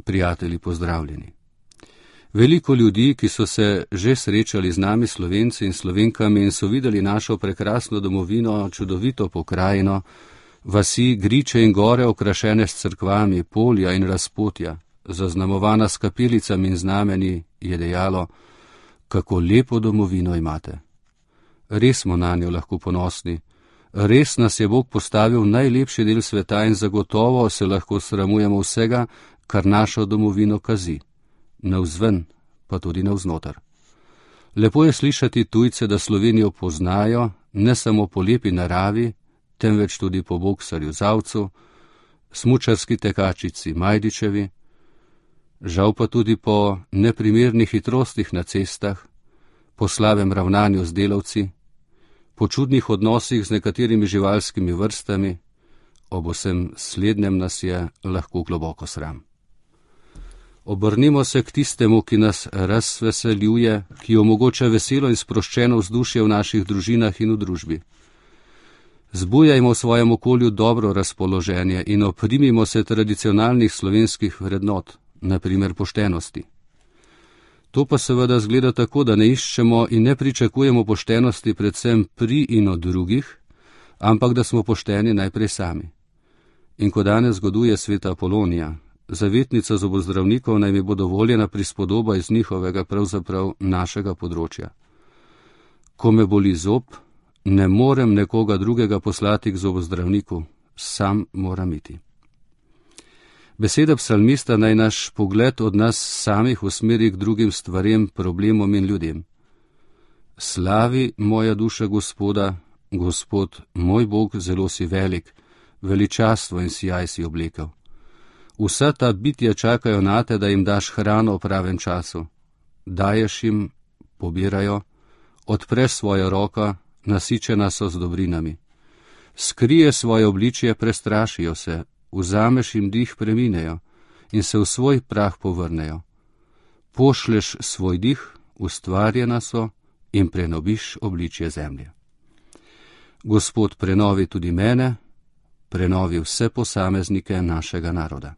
prijatelji, pozdravljeni. Veliko ljudi, ki so se že srečali z nami, Slovenci in Slovenkami, in so videli našo prekrasno domovino, čudovito pokrajino, vasi, griče in gore okrašene s cerkvami, polja in razpotja, zaznamovana s kapelicami in znameni, je dejalo: kako lepo domovino imate. Res smo na njo lahko ponosni, res nas je Bog postavil v najlepši del sveta in zagotovo se lahko sramujemo vsega, kar našo domovino kazi, navzven pa tudi navznoter. Lepo je slišati tujce, da Slovenijo poznajo ne samo po lepi naravi, temveč tudi po boksarju Zavcu, smučarski tekačici Majdičevi, žal pa tudi po neprimernih hitrostih na cestah, po slabem ravnanju z delavci, po čudnih odnosih z nekaterimi živalskimi vrstami. Ob vsem slednjem nas je lahko globoko sram. Obrnimo se k tistemu, ki nas razveseljuje, ki omogoča veselo in sproščeno vzdušje v naših družinah in v družbi. Zbujajmo v svojem okolju dobro razpoloženje in oprimimo se tradicionalnih slovenskih vrednot, na primer poštenosti. To pa seveda zgleda tako, da ne iščemo in ne pričakujemo poštenosti predvsem pri in od drugih, ampak da smo pošteni najprej sami. In ko danes zgoduje sveta Apolonija, zavetnica zobozdravnikov, naj mi bo dovoljena prispodoba iz njihovega, pravzaprav našega področja. Ko me boli zob, ne morem nekoga drugega poslati k zobozdravniku, sam moram iti. Beseda psalmista naj naš pogled od nas samih usmeri k drugim stvarem, problemom in ljudem. Slavi moja duša Gospoda, Gospod, moj Bog, zelo si velik, veličastvo in sijaj si oblekel. Vsa ta bitja čakajo nate, da jim daš hrano v pravem času. Daješ jim, pobirajo, odpreš svojo roko, nasičena so z dobrinami. Skrije svoje obličje, prestrašijo se, vzameš jim dih, preminejo in se v svoj prah povrnejo. Pošleš svoj dih, ustvarjena so, in prenoviš obličje zemlje. Gospod, prenovi tudi mene, prenovi vse posameznike našega naroda.